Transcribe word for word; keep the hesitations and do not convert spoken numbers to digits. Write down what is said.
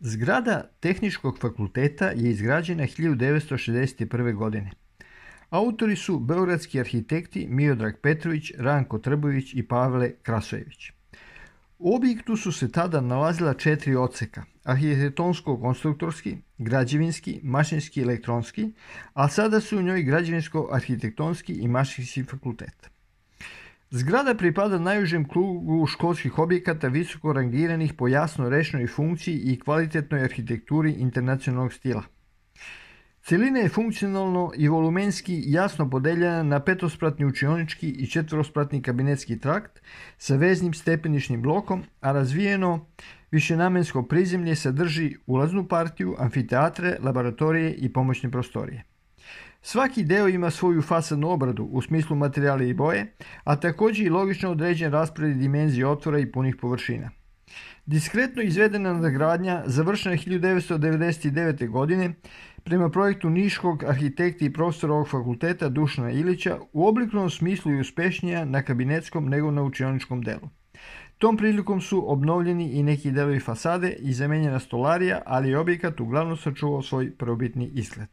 Zgrada Tehničkog fakulteta je izgrađena hiljadu devetsto šezdeset prve. godine. Autori su beogradski arhitekti Miodrag Petrović, Ranko Trbović i Pavle Krasojević. U objektu su se tada nalazila četiri odseka: arhitektonsko-konstruktorski, građevinski, mašinski i elektronski, a sada su u njoj građevinsko-arhitektonski i mašinski fakultet. Zgrada pripada najužem krugu školskih objekata visoko rangiranih po jasno rečnoj funkciji i kvalitetnoj arhitekturi internacionalnog stila. Celina je funkcionalno i volumenski jasno podeljena na petospratni učionički i četvorospratni kabinetski trakt sa veznim stepenišnim blokom, a razvijeno višenamensko prizemlje sadrži ulaznu partiju, amfiteatre, laboratorije i pomoćne prostorije. Svaki deo ima svoju fasadnu obradu u smislu materijala i boje, a također i logično određen raspored dimenzije otvora i punih površina. Diskretno izvedena nadgradnja završena je hiljadu devetsto devedeset devete. godine prema projektu niškog arhitekta i profesora ovog fakulteta Dušana Ilića, u oblikovnom smislu i uspešnija na kabinetskom nego na učioničkom delu. Tom prilikom su obnovljeni i neki delovi fasade i zamenjena stolarija, ali je objekat uglavnom sačuvao svoj prvobitni izgled.